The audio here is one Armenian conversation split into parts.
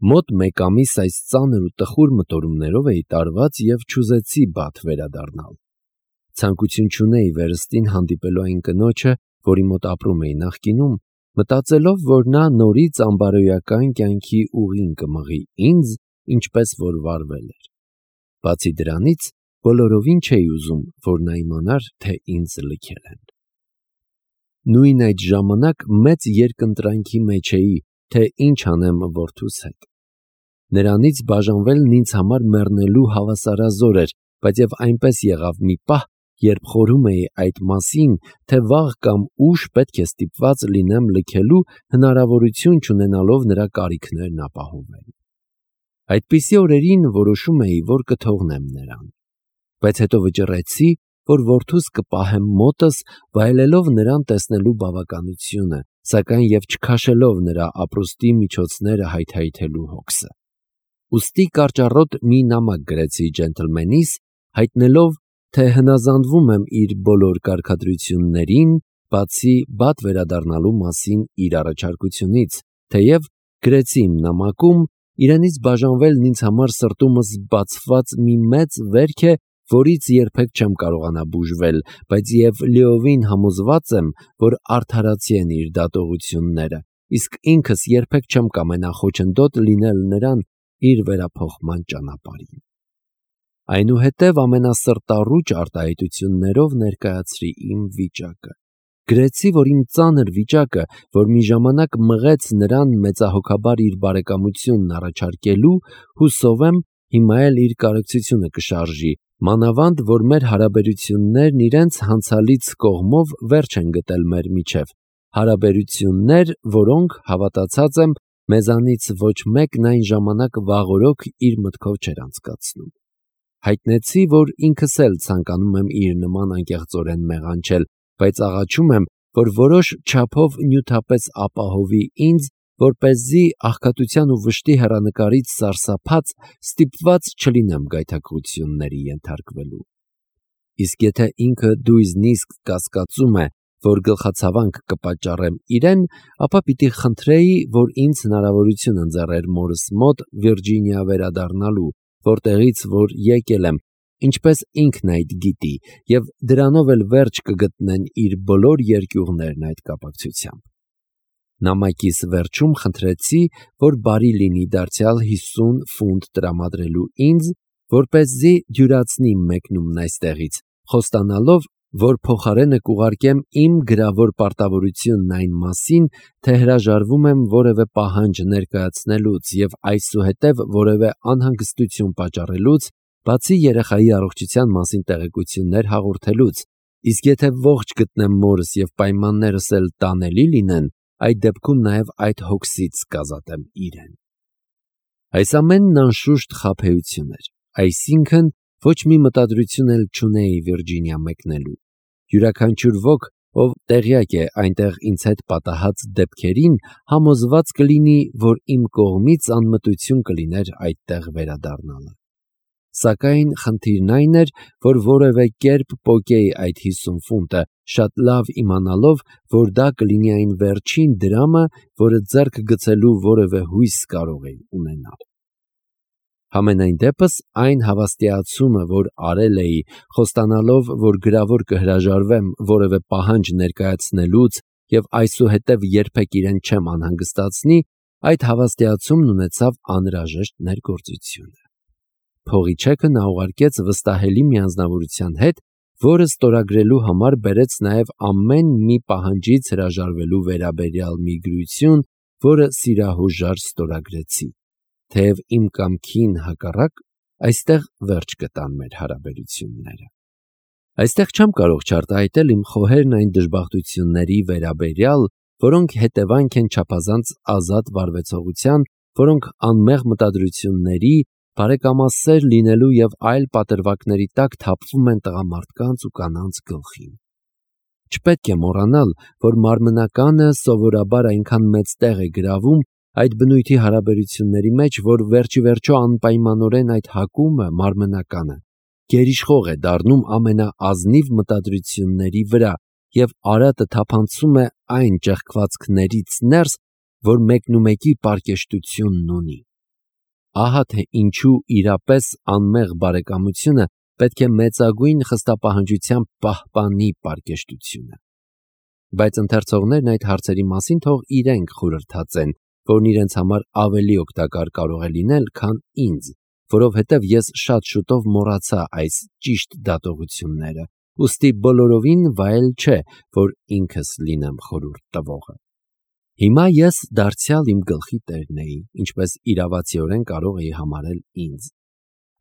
Մոտ մեկ ամիս այս ծանր ու տխուր մտորումներով էի տարված և չուզեցի Բաթ վերադառնալ։ Ցանկություն չունեի վերստին հանդիպելու այն կնոջը, որի մոտ ապրում էի նախկինում, մտածելով, որ նա նորից անբարոյական կյանքի ուղին կմղի ինձ, ինչպես որ վարվել էր։ Բացի դրանից, բոլորովին չէի ուզում, որ նա իմանար, թե ինձ լքել են։ Նույն այդ ժամանակ մեծ երկընտրանքի մեջ էի, թե ինչ անեմ որդուս հետ։ Նրանից բաժանվելն ինձ համար մեռնելու հավասարազոր էր, բայց և այնպես եղավ մի պահ, երբ խորհում էի այդ մասին, թե վաղ կամ ուշ պետք է ստիպված լինեմ լքելու, հնարավորություն չունենալով նրա կարիքներն ապահովել։ Այդպիսի օրերին որոշում էի, որ կթողնեմ նրան, բայց հետո վճռեցի, որ որդուս կպահեմ մոտս, վայելելով նրան տեսնելու բավականությունը, սակայն և չքաշելով նրա ապրուստի միջոցները հայթայթելու հոգսը։ Ուստի կարճառոտ մի նամակ գրեցի ջենթլմենիս, հայտնելով, թե հնազանդվում եմ իր բոլոր կարգադրություններին, բացի Բաթ վերադառնալու մասին իր առաջարկությունից, թեև գրեցի իմ նամակում, իրենից բաժանվելն ինձ համար սրտումս բացված մի մեծ վերք է, որից երբեք չեմ կարողանա բուժվել, բայց և լիովին համոզված եմ, որ արդարացի են իր դատողությունները, իսկ ինքս երբեք չեմ կամենա խոչընդոտ լինել նրան իր վերափոխման ճանապարհին։ Այնուհետև ամենասրտառուչ արտահայտություններով ներկայացրի իմ վիճակը։ Գրեցի, որ իմ ծանր վիճակը, որ մի ժամանակ մղեց նրան մեծահոգաբար իր բարեկամությունն առաջարկելու, հուսով եմ, հիմա էլ իր կարեկցությունը կշարժի, մանավանդ, որ մեր հարաբերություններն իրենց հանցալից կողմով վերջ են գտել մեր միջև, հարաբերություններ, որոնք, հավատացած եմ, մեզանից ոչ մեկն այն ժամանակ վաղօրոք իր մտքով չէր անցկացնում։ Հայտնեցի, որ ինքս էլ ցանկանում եմ իր նման անկեղծորեն մեղանչել, բայց աղաչում եմ, որ որոշ չափով նյութապես ապահովի ինձ, որպեսզի աղքատության ու վշտի հեռանկարից սարսափած ստիպված չլինեմ գայթակղությունների ենթարկվելու։ Իսկ եթե ինքը դույզնիսկ կասկածում է, որ գլխացավանք կպատճառեմ իրեն, ապա պիտի խնդրեի, որ ինձ հնարավորություն ընձեռեր մորս մոտ Վիրջինիա վերադառնալու, որտեղից որ եկել եմ, ինչպես ինքն այդ գիտի, և դրանով էլ վերջ կգտնեն իր բոլոր երկյուղներն այդ կապակցությամբ։ Նամակիս վերջում խնդրեցի, որ բարի լինի դարձյալ 50 ֆունտ տրամադրելու ինձ, որպեսզի դյուրացնի մեկնումն այստեղից, խոստանալով, որ փոխարենը կուղարկեմ իմ գրավոր պարտավորությունն այն մասին, թե հրաժարվում եմ որևէ պահանջ ներկայացնելուց և այսուհետև որևէ անհանգստություն պատճառելուց, բացի երեխայի առողջության մասին տեղեկություններ հաղորդելուց, իսկ եթե ողջ գտնեմ մորս և պայմաններս էլ տանելի լինեն, այդ դեպքում նաև այդ հոգսից կազատեմ իրեն։ Այս ամենն անշուշտ խաբեություն էր, այսինքն ոչ մի մտադրություն էլ չունեի Վիրջինիա մեկնելու։ Յուրաքանչյուր ոք, ով տեղյակ է այնտեղ ինձ հետ պատահած դեպքերին, համոզված կլինի, որ իմ կողմից անմտություն կլիներ այդտեղ վերադառնալը։ Սակայն խնդիրն այն էր, որ որևէ կերպ պոկեի այդ 50 ֆունտը, շատ լավ իմանալով, որ դա կլինի այն վերջին դրամը, որը ձեռք գցելու որևէ հույս կարող էի ունենալ։ Համենայն դեպս այն հավաստիացումը, որ արել էի, խոստանալով, որ գրավոր կհրաժարվեմ որևէ պահանջ ներկայացնելուց և այսուհետև երբեք իրեն չեմ անհանգստացնի, այդ հավաստիացումն ունեցավ անհրաժեշտ ներգործությունը։ Փողի չեքը նա ուղարկեց վստահելի մի անձնավորության հետ, որը ստորագրելու համար բերեց նաև ամեն մի պահանջից հրաժարվելու վերաբերյալ մի գրություն, որը սիրահուժար ստորագրեցի, թեև իմ կամքին հակառակ, այստեղ վերջ գտան մեր հարաբերությունները։ Այստեղ չեմ կարող չարտահայտել իմ խոհերն այն դժբախտությունների վերաբերյալ, որոնք հետևանք են չափազանց ազատ վարվեցողության, որոնք անմեղ մտադրությունների, բարեկամասեր լինելու և այլ պատրվակների տակ թափվում են տղամարդկանց ու կանանց գլխին։ Չպետք է մոռանալ, որ մարմնականը սովորաբար այնքան մեծ տեղ է գրավում այդ բնույթի հարաբերությունների մեջ, որ վերջիվերջո անպայմանորեն այդ հակումը մարմնականը գերիշխող է դառնում ամենաազնիվ մտադրությունների վրա և արատը թափանցում է այն ճեղքվածքներից ներս, որ մեկնումեկի պարկեշտությունն ունի։ ահա թե ինչու իրապես անմեղ բարեկամությունը պետք է մեծագույն խստապահանջությամբ պահպանի պարկեշտությունը։ Բայց ընթերցողներն այդ հարցերի մասին թող իրենք խորհրդածեն, որն իրենց համար ավելի օգտակար կարող է լինել, քան ինձ, որովհետև ես շատ շուտով մոռացա այս ճիշտ դատողությունները, ուստի բոլորովին վայել չէ, որ ինքս լինեմ խորհուրդ տվողը։ Հիմա ես դարձյալ իմ գլխի տերն էի, ինչպես իրավացիորեն կարող էի համարել ինձ։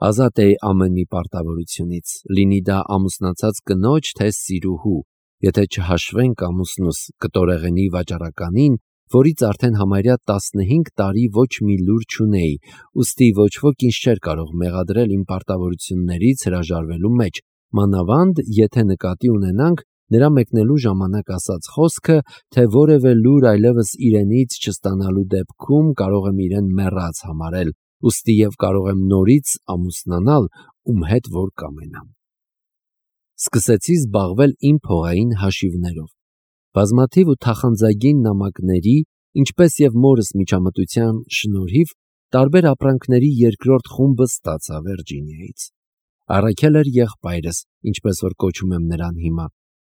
Ազատ էի ամեն մի պարտավորությունից, լինի դա ամուսնացած կնոջ, թե սիրուհու, եթե չհաշվենք ամուսնուս կտորեղենի վաճառականին, որից արդեն համարյա 15 տարի ոչ մի լուր չունեի, ուստի ոչ ոք ինձ չէր կարող մեղադրել իմ պարտավորություններից հրաժարվելու մեջ, մանավանդ եթե նկատի ունենանք նրա մեկնելու ժամանակ ասած խոսքը, թե որևէ լուր այլևս իրենից չստանալու դեպքում կարող եմ իրեն մեռած համարել, ուստի և կարող եմ նորից ամուսնանալ, ում հետ որ կամենամ։ Սկսեցի զբաղվել իմ փողային հաշիվներով։ Բազմաթիվ ու թախանձագին նամակների, ինչպես և մորս միջամտության շնորհիվ, տարբեր ապրանքների երկրորդ խումբը ստացա Վիրջինիայից։ Առաքել էր եղբայրս, ինչպես որ կոչում եմ նրան հիմա,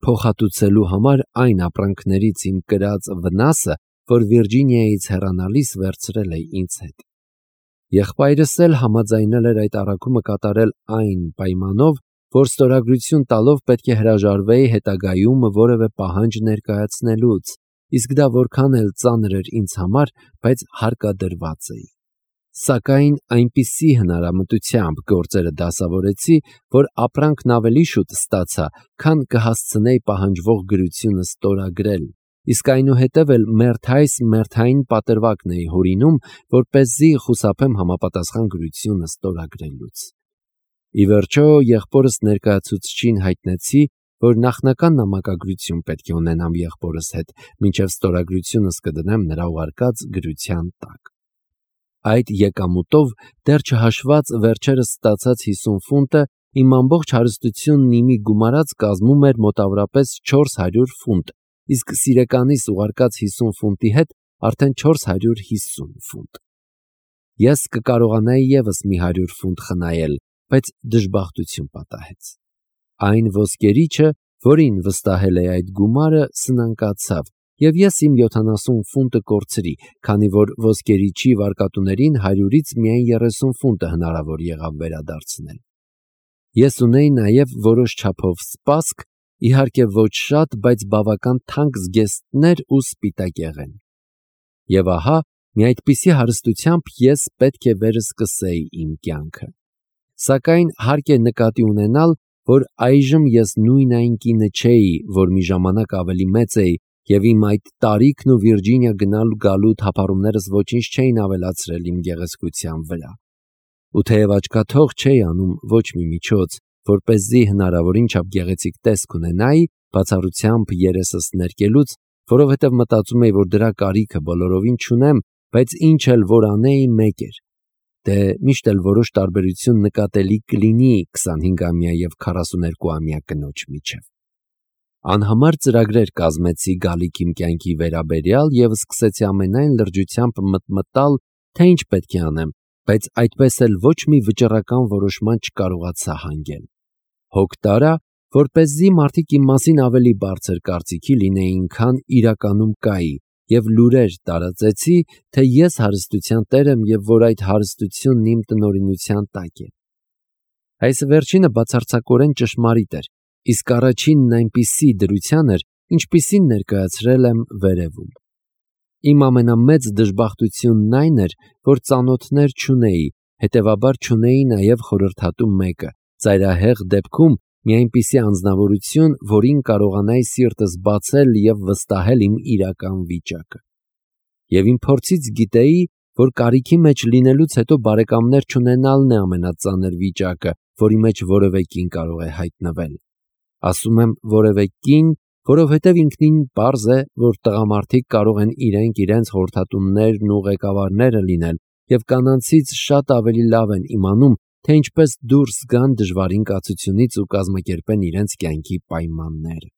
փոխհատուցելու համար այն ապրանքներից իմ կրած վնասը, որ Վիրջինիայից հեռանալիս վերցրել էի ինձ հետ։ Եղբայրս էլ համաձայնել էր այդ առաքումը կատարել այն պայմանով, որ ստորագրություն տալով պետք է հրաժարվեի հետագայում որևէ պահանջ ներկայացնելուց, իսկ դա որքան էլ ծանր էր ինձ համար, բայց հարկադրված էի։ Սակայն այնպիսի հնարամտությամբ գործերը դասավորեցի, որ ապրանքն ավելի շուտ ստացա, քան կհասցնեի պահանջվող գրությունը ստորագրել, իսկ այնուհետև էլ մերթայս մերթային պատրվակն էի հորինում, որպեսզի խուսափեմ համապատասխան գրությունը ստորագրելուց։ Ի վերջո եղբորս ներկայացուցչին հայտնեցի, որ նախնական նամակագրություն պետք է ունենամ եղբորս հետ, մինչև ստորագրությունս կդնեմ նրա ուղարկած գրության տակ։ Այդ եկամուտով դեռ չհաշված վերջերս ստացած 50 ֆունտը իմ ամբողջ հարստությունն իմի գումարած կազմում էր մոտավորապես 400 ֆունտ, իսկ սիրեկանիս ուղարկած 50 ֆունտի հետ արդեն 450 ֆունտ։ Ես կկարողանայի ևս մի 100 ֆունտ խնայել, բայց դժբախտություն պատահեց։ Այն ոսկերիչը, որին վստահել էի այդ գումարը, սնանկացավ, և ես իմ 70 ֆունտը կորցրի, քանի որ ոսկերիչի վարկատուներին 100-ից միայն 30 ֆունտը հնարավոր եղավ վերադարձնել։ Ես ունեի նաև որոշ չափով սպասք, իհարկե ոչ շատ, բայց բավական թանկ զգեստներ ու սպիտակեղեն։ Եվ ահա, մի այդպիսի հարստությամբ ես պետք է վերսկսեի իմ կյանքը։ Սակայն հարկ է նկատի ունենալ, որ այժմ ես նույն այն կինը չէի, որ մի ժամանակ ավելի մեծ էի, և իմ այդ տարիքն ու Վիրջինիա գնալու գալու թափառումներս ոչինչ չէին ավելացրել իմ գեղեցկության վրա։ Ու թեև աչքաթող չէի անում ոչ մի միջոց, որպեսզի հնարավորին չափ գեղեցիկ տեսք ունենայի, բացառությամբ երեսս ներկելուց, որովհետև մտածում էի, որ դրա կարիքը բոլորովին չունեմ, բայց ինչ էլ որ անեի, մեկ էր. դե միշտ էլ որոշ տարբերություն նկատելի կլինի 25-ամյա և 42-ամյա կնոջ միջև։ Անհամար ծրագրեր կազմեցի գալիք իմ կյանքի վերաբերյալ և սկսեցի ամենայն լրջությամբ մտմտալ, թե ինչ պետք է անեմ, բայց այդպես էլ ոչ մի վճռական որոշման չկարողացա հանգել։ Հոգ տարա, որպեսզի մարդիկ իմ մասին ավելի բարձր կարծիքի լինեին, քան իրականում կայի, և լուրեր տարածեցի, թե ես հարստության տեր եմ և որ այդ հարստությունն իմ տնօրինության տակ է։ Այս վերջինը բացարձակորեն ճշմարիտ էր, իսկ առաջինն այնպիսի դրության էր, ինչպիսին ներկայացրել եմ վերևում։ Իմ ամենամեծ դժբախտությունն այն էր, որ ծանոթներ չունեի, հետևաբար չունեի նաև խորհրդատու մեկը, ծայրահեղ դեպքում մի այնպիսի անձնավորություն, որին կարողանայի սիրտս բացել և վստահել իմ իրական վիճակը։ Եվ իմ փորձից գիտեի, որ կարիքի մեջ լինելուց հետո բարեկամներ չունենալն է ամենածանր վիճակը, որի մեջ որևէ կին կարող է հայտնվել։ Ասում եմ որևէ կին, որովհետև ինքնին պարզ է, որ տղամարդիկ կարող են իրենց խորհրդատուներն ու ղեկավարները լինել և կանանցից շատ ավելի լավ են իմանում, թե ինչպես դուրս գան դժվարին կացությունից ու կազմակերպեն իրենց կյանքի պայմանները։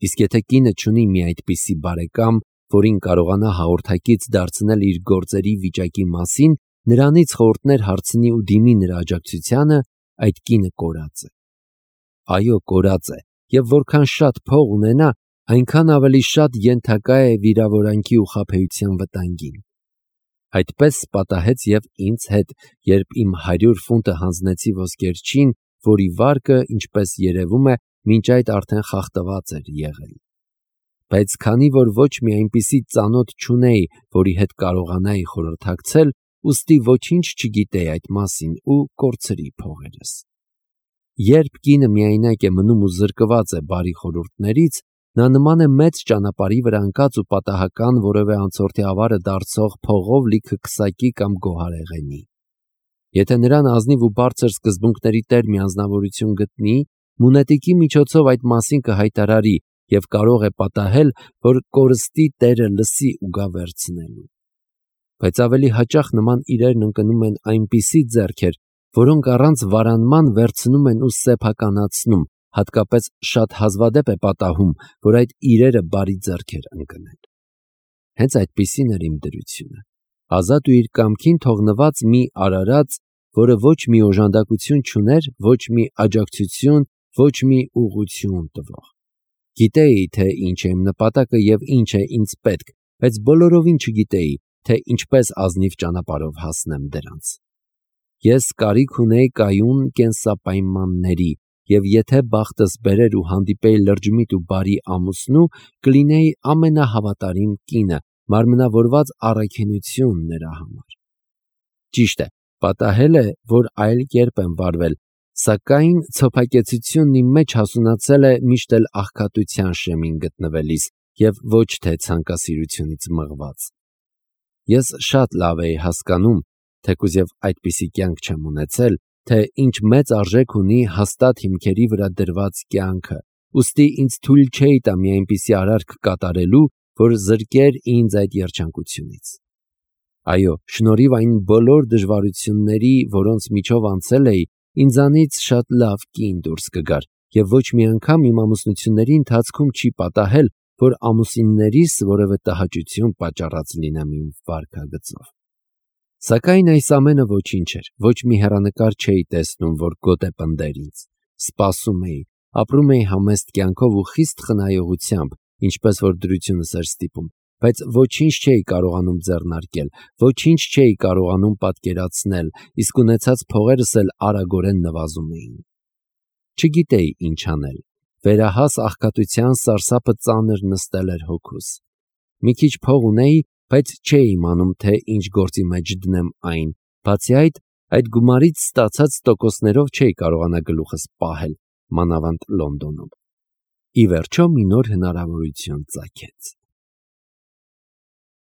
Իսկ եթե կինը չունի մի այդպիսի բարեկամ, որին կարողանա հաղորդակից դարձնել իր գործերի վիճակի մասին, նրանից խորհուրդներ հարցնի ու դիմի նրա աջակցությանը, այդ կինը կորած է։ Այո, կորած է, եւ որքան շատ փող ունենա, այնքան ավելի շատ ենթակա է վիրավորանքի ու խաբեության վտանգին։ Այդպես պատահեց եւ ինձ հետ, երբ իմ 100 ֆունտը հանձնեցի ոսկերչին, որի վարկը, ինչպես երևում է, մինչ այդ արդեն խախտված էր եղել։ Բայց քանի որ ոչ մի այնպիսի ծանոթ չունեի, որի հետ կարողանայի խորհրդակցել, ուստի ոչինչ չգիտեի այդ մասին ու կորցրի փողերս։ Երբ կինը միայնակ է մնում ու զրկված է բարի խորհուրդներից, նա նման է մեծ ճանապարհի վրա ընկած ու պատահական որևէ անցորդի ավարը դարձող փողով լիքը քսակի կամ գոհարեղենի։ Եթե նրան ազնիվ ու բարձր սկզբունքների տեր մի անձնավորություն գտնի, մունետիկի միջոցով այդ մասին կհայտարարի եւ կարող է պատահել, որ կորստի տերը լսի ու գա վերցնելու։ Բայց ավելի հաճախ նման իրերն ընկնում են այնպիսի ձեռքեր, որոնք առանց վարանման վերցնում են ու սեփականացնում, հատկապես շատ հազվադեպ է պատահում, որ այդ իրերը բարի ձեռքեր ընկնեն։ Հենց այդպիսին էր իմ դրությունը։ Ազատ ու իր կամքին թողնված մի արարած, որը ոչ մի օժանդակություն չուներ, ոչ մի աջակցություն, ոչ մի ուղղություն տվող։ Գիտեի, թե ինչ է իմ նպատակը եւ ինչ է ինձ պետք, բայց բոլորովին չգիտեի, թե ինչպես ազնիվ ճանապարհով հասնեմ դրանց։ Ես կարիք ունեի կայուն կենսապայմանների, եւ եթե բախտս բերեր ու հանդիպեի լրջմիտ ու բարի ամուսնու, կլինեի ամենահավատարիմ կինը, մարմնավորված առաքինություն նրա համար։ Ճիշտ է, պատահել է, որ այլ կերպ եմ վարվել, սակայն ցոփակեցությունն իմ մեջ հասունացել է միշտ էլ աղքատության շեմին գտնվելիս եւ ոչ թե ցանկասիրությունից մղված։ Ես շատ լավ էի հասկանում, թեկուզ եւ այդպիսի կյանք չեմ ունեցել, թե ինչ մեծ արժեք ունի հաստատ հիմքերի վրա դրված կյանքը, ուստի ինձ թույլ չէի տա մի այնպիսի արարք կատարելու, որ զրկեր ինձ այդ երջանկությունից։ Այո, շնորհիվ այն բոլոր դժվարությունների, որոնց միջով անցել էի, ինձանից շատ լավ կին դուրս կգար, եւ ոչ մի անգամ իմ ամուսնությունների ընթացքում չի պատահել, որ ամուսիններիս որևէ տհաճություն պատճառած լինեմ իմ վարքագծով։ Սակայն այս ամենը ոչինչ էր, ոչ մի հեռանկար չէի տեսնում, որ գոտե պնդեր ինձ։ Սպասում էի, ապրում էի համեստ կյանքով ու խիստ խնայողությամբ, ինչպես որ դրությունս էր ստիպում, բայց ոչինչ չէի կարողանում ձեռնարկել, ոչինչ չէի կարողանում պատկերացնել, իսկ ունեցած փողերս էլ արագորեն նվազում էին։ Չգիտեի ինչ անել։ Վերահաս աղքատության սարսափը ծանր նստել էր հոգուս։ Մի քիչ փող ունեի, բայց չէի իմանում, թե ինչ գործի մեջ դնեմ այն։ Բացի այդ գումարից ստացած տոկոսներով չէի կարողանա գլուխս պահել, մանավանդ Լոնդոնում։ Ի վերջո մի նոր հնարավորություն ծագեց։